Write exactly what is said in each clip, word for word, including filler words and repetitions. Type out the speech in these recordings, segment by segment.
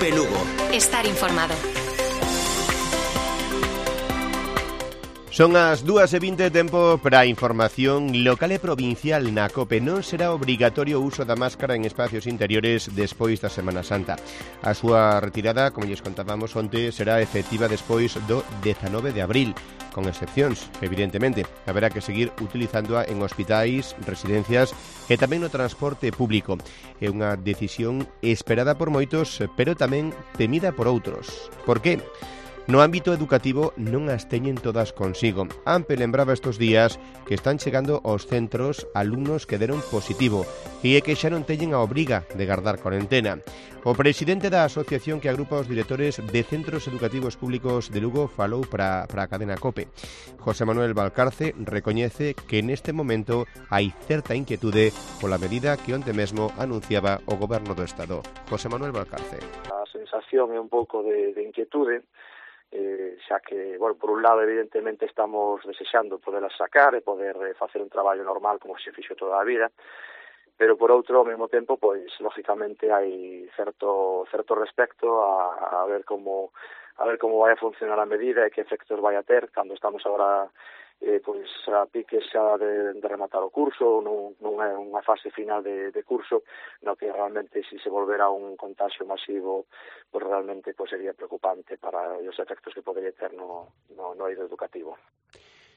COPE Lugo. Estar informado. Son as dúas e vinte, tempo para a información local e provincial na COPE. Non será obrigatorio o uso da máscara en espacios interiores despois da Semana Santa. A súa retirada, como lles contábamos onte, será efectiva despois do dezanove de abril, con excepcións, evidentemente. Haberá que seguir utilizándoa en hospitais, residencias e tamén no transporte público. É unha decisión esperada por moitos, pero tamén temida por outros. Por que? No ámbito educativo non as teñen todas consigo. AMPE lembraba estes días que están chegando aos centros alumnos que deron positivo e é que xa non teñen a obriga de gardar cuarentena. O presidente da asociación que agrupa os directores de centros educativos públicos de Lugo falou para, para a cadena COPE. José Manuel Valcarce recoñece que neste momento hai certa inquietude pola medida que onte mesmo anunciaba o Goberno do Estado. José Manuel Valcarce. A sensación é un pouco de, de inquietude, Eh, xa que, bueno, por un lado, evidentemente, estamos desexando poderlas sacar e poder eh, facer un traballo normal como se fixo toda a vida, pero por outro, ao mesmo tempo, pois, lógicamente, hai certo certo respecto a, a ver como a ver como vai a funcionar a medida e que efectos vai a ter cando estamos agora eh, pois a piques xa de, de rematar o curso, non, non é unha fase final de, de curso, no que realmente se si se volverá un contagio masivo, pois realmente pois sería preocupante para os efectos que podería ter no, no, no eido educativo.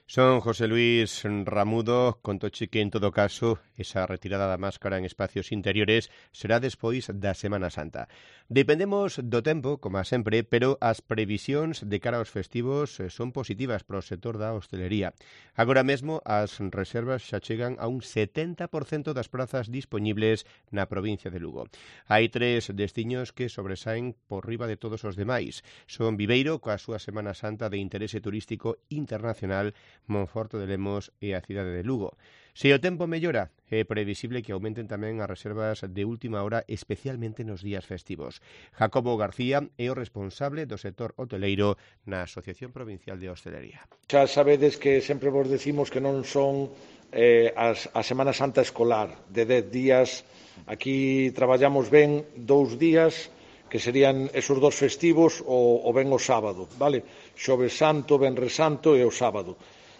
Son José Luis Ramudo, contoche que en todo caso esa retirada da máscara en espacios interiores será despois da Semana Santa. Dependemos do tempo, como sempre, pero as previsións de cara aos festivos son positivas para o sector da hostelería. Agora mesmo as reservas xa chegan a un setenta por cento das prazas dispoñibles na provincia de Lugo. Hai tres destiños que sobresaen por riba de todos os demais. Son Viveiro, coa súa Semana Santa de interese turístico internacional, Monforte de Lemos e a cidade de Lugo. Se o tempo mellora, é previsible que aumenten tamén as reservas de última hora, especialmente nos días festivos. Jacobo García é o responsable do sector hoteleiro na Asociación Provincial de Hostelería. Xa sabedes que sempre vos decimos que non son eh, as, a Semana Santa escolar de dez días. Aquí traballamos ben dous días, que serían esos dos festivos, o, o ben o sábado, vale? Xoves Santo, Venres Santo e o sábado.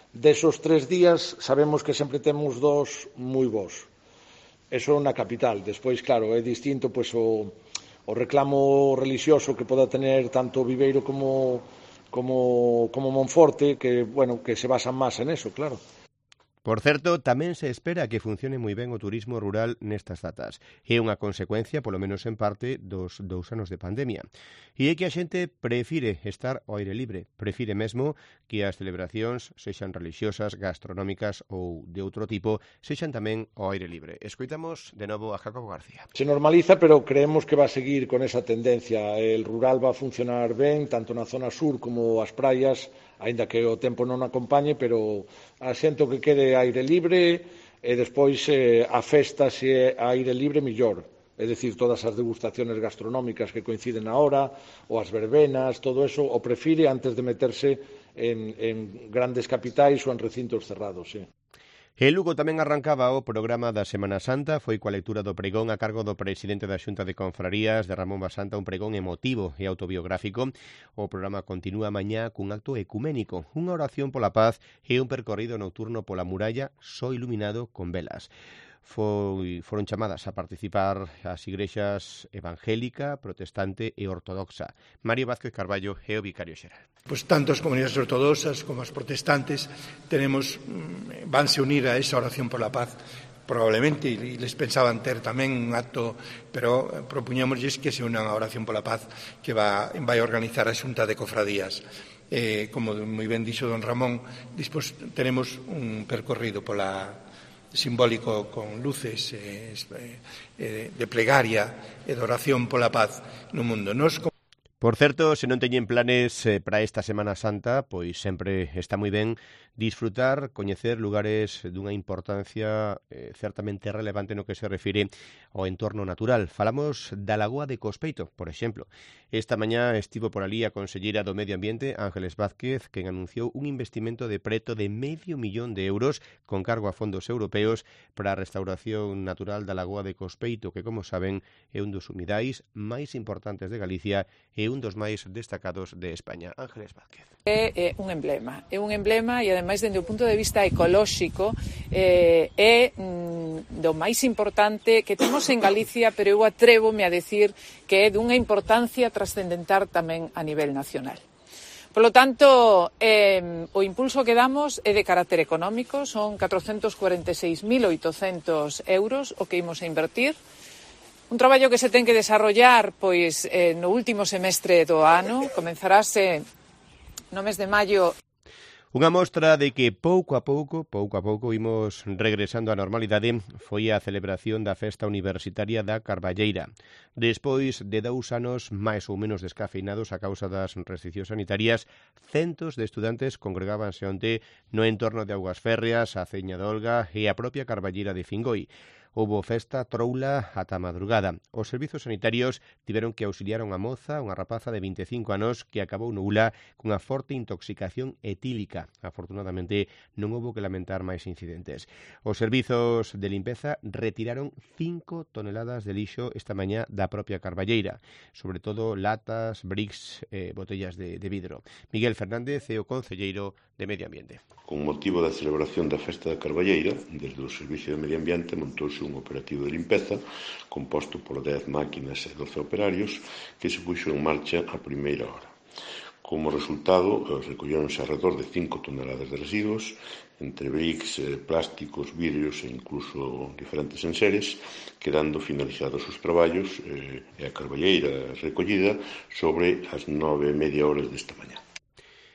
Desos tres días sabemos que sempre temos dos moi bons. Eso na capital. Despois, claro, é distinto pois, o, o reclamo religioso que poda tener tanto Viveiro como, como, como Monforte, que, bueno, que se basan máis en eso, claro. Por certo, tamén se espera que funcione moi ben o turismo rural nestas datas. É unha consecuencia, polo menos en parte, dos dous anos de pandemia. E é que a xente prefire estar ao aire libre, prefire mesmo que as celebracións, sexan religiosas, gastronómicas ou de outro tipo, sexan tamén ao aire libre. Escoitamos de novo a Jacobo García. Se normaliza, pero creemos que va a seguir con esa tendencia. El rural va a funcionar ben, tanto na zona sur como as praias, aínda que o tempo non acompañe, pero a xente que quede aire libre e despois eh, a festa se é aire libre millor. É dicir, todas as degustaciones gastronómicas que coinciden na hora, ou as verbenas, todo eso, o prefire antes de meterse en, en grandes capitais ou en recintos cerrados, sí. E Lugo tamén arrancaba o programa da Semana Santa, foi coa lectura do pregón a cargo do presidente da Xunta de Confrarías, de Ramón Basanta, un pregón emotivo e autobiográfico. O programa continúa mañá cun acto ecuménico, unha oración pola paz e un percorrido nocturno pola muralla só iluminado con velas. Foi, foron chamadas a participar as igrexas evangélica, protestante e ortodoxa. Mario Vázquez Carballo é o vicario xeral. Pues tanto as comunidades ortodoxas como as protestantes tenemos, vanse unir a esa oración por la paz. Probablemente, e les pensaban ter tamén un acto, pero propuñámosles que se una a oración por la paz que va, vai a organizar a Xunta de Cofradías. Eh, como moi ben dixo don Ramón, despois tenemos un percorrido pola simbólico con luces eh, eh, de plegaria e de oración pola paz no mundo. Nos Por certo, se non teñen planes eh, para esta Semana Santa, pois sempre está moi ben disfrutar, coñecer lugares dunha importancia eh, certamente relevante no que se refire ao entorno natural. Falamos da Lagoa de Cospeito, por exemplo. Esta mañá estivo por ali a conselleira do Medio Ambiente, Ángeles Vázquez, quen anunciou un investimento de preto de medio millón de euros con cargo a fondos europeos para a restauración natural da Lagoa de Cospeito, que, como saben, é un dos humidais máis importantes de Galicia e un dos máis destacados de España. Ángeles Vázquez. É, é un emblema, é un emblema e ademais dende o punto de vista ecolóxico eh, é mm, do máis importante que temos en Galicia, pero eu atrévome a decir que é dunha importancia trascendental tamén a nivel nacional. Por lo tanto, eh, o impulso que damos é de carácter económico, son catrocentos cuarenta e seis mil oitocentos euros o que imos a invertir. Un traballo que se ten que desarrollar pois eh, no último semestre do ano, comenzarase no mes de maio. Unha mostra de que pouco a pouco, pouco a pouco, imos regresando á normalidade foi a celebración da Festa Universitaria da Carballeira. Despois de dous anos máis ou menos descafeinados a causa das restriccións sanitarias, centos de estudantes congregábanse onte no entorno de Augas Férreas, a Ceña de Olga e a propia Carballeira de Fingoi. Houbo festa troula ata a madrugada. Os servizos sanitarios tiveron que auxiliar a unha moza, unha rapaza de vinte e cinco anos, que acabou no U L A cunha forte intoxicación etílica. Afortunadamente, non houbo que lamentar máis incidentes. Os servizos de limpeza retiraron cinco toneladas de lixo esta mañá da propia Carballeira, sobre todo latas, bricks e eh, botellas de, de vidro. Miguel Fernández é o concelleiro de Medio Ambiente. Con motivo da celebración da Festa da Carballeira, desde o Servicio de Medio Ambiente montouse un operativo de limpeza composto por dez máquinas e doce operarios que se puxo en marcha a primeira hora. Como resultado, recolleronse alrededor de cinco toneladas de residuos, entre bricks, plásticos, vidrios e incluso diferentes enseres, quedando finalizados os traballos e a Carballeira recollida sobre as nove e media horas desta mañá.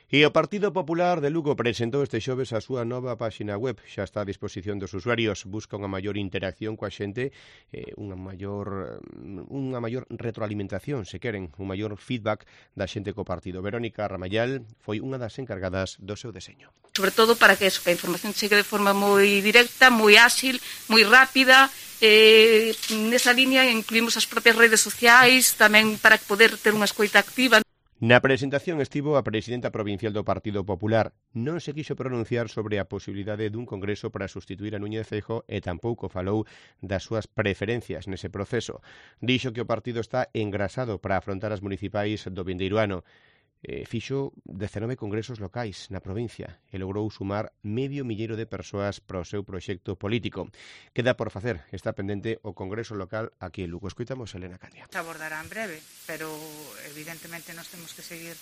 E o Partido Popular de Lugo presentou este xoves a súa nova páxina web. Xa está a disposición dos usuarios. Busca unha maior interacción coa xente, eh, unha maior unha maior retroalimentación, se queren, un maior feedback da xente co partido. Verónica Ramayal foi unha das encargadas do seu deseño. Sobre todo para que, eso, que a información chegue de forma moi directa, moi áxil, moi rápida. Eh, nesa línea incluímos as propias redes sociais, tamén para poder ter unha escoita activa. Na presentación estivo a presidenta provincial do Partido Popular. Non se quixo pronunciar sobre a posibilidade dun congreso para sustituir a Núñez Feijóo e tampouco falou das súas preferencias nese proceso. Dixo que o partido está engrasado para afrontar as municipais do vindeiro ano. Eh, fixo dezenove congresos locais na provincia e logrou sumar medio milleiro de persoas para o seu proxecto político. Queda por facer, está pendente o congreso local aquí en Lugo. Escoitamos a Elena Candia. Se abordará en breve, pero evidentemente nos temos que seguir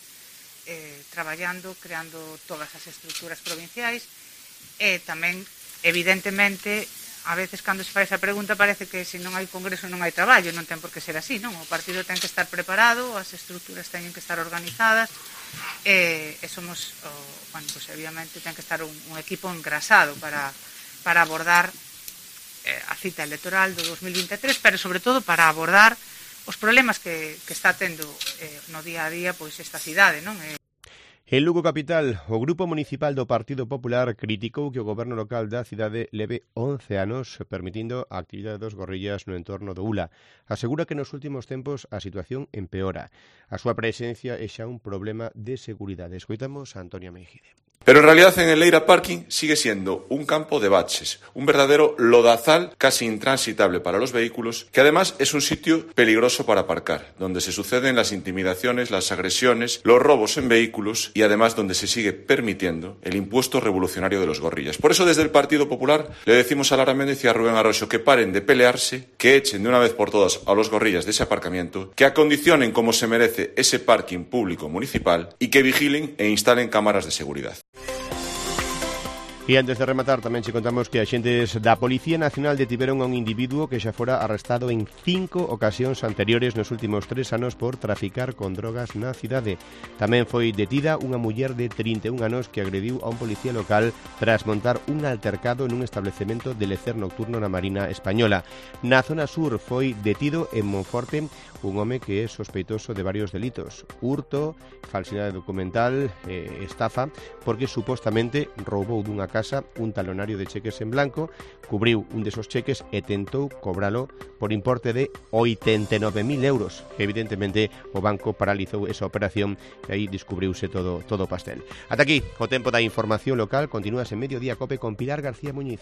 eh, traballando, creando todas as estruturas provinciais e tamén, evidentemente, a veces cando se fai esa pregunta parece que se non hai congreso non hai traballo, non ten por que ser así, non? O partido ten que estar preparado, as estruturas teñen que estar organizadas e, e somos, o, bueno, pues obviamente ten que estar un, un equipo engrasado para, para abordar eh, a cita electoral do dos mil vinte e tres, pero sobre todo para abordar os problemas que, que está tendo eh, no día a día pois esta cidade, non? Eh, En Lugo Capital, o Grupo Municipal do Partido Popular criticou que o goberno local da cidade leve once anos permitindo a actividade dos gorrillas no entorno do U L A. Asegura que nos últimos tempos a situación empeora. A súa presencia é xa un problema de seguridade. Escoitamos a Antonio Meijide. Pero en realidad en el Leira Parking sigue siendo un campo de baches, un verdadero lodazal casi intransitable para los vehículos, que además es un sitio peligroso para aparcar, donde se suceden las intimidaciones, las agresiones, los robos en vehículos y además donde se sigue permitiendo el impuesto revolucionario de los gorrillas. Por eso desde el Partido Popular le decimos a Lara Méndez y a Rubén Arroyo que paren de pelearse, que echen de una vez por todas a los gorrillas de ese aparcamiento, que acondicionen como se merece ese parking público municipal y que vigilen e instalen cámaras de seguridad. E antes de rematar tamén che contamos que axentes da Policía Nacional detiveron a un individuo que xa fora arrestado en cinco ocasións anteriores nos últimos tres anos por traficar con drogas na cidade. Tamén foi detida unha muller de trinta e un anos que agrediu a un policía local tras montar un altercado nun establecemento de lecer nocturno na Marina Española. Na zona sur foi detido en Monforte un home que é sospeitoso de varios delitos: hurto, falsidade documental, eh, estafa, porque supostamente roubou dunha casa un talonario de cheques en blanco, cubriu un desos cheques e tentou cobralo por importe de oitenta e nove mil euros. Evidentemente, o banco paralizou esa operación e aí descubriuse todo todo o pastel. Ata aquí o tempo da información local. Continúas en Mediodía Cope con Pilar García Muñiz.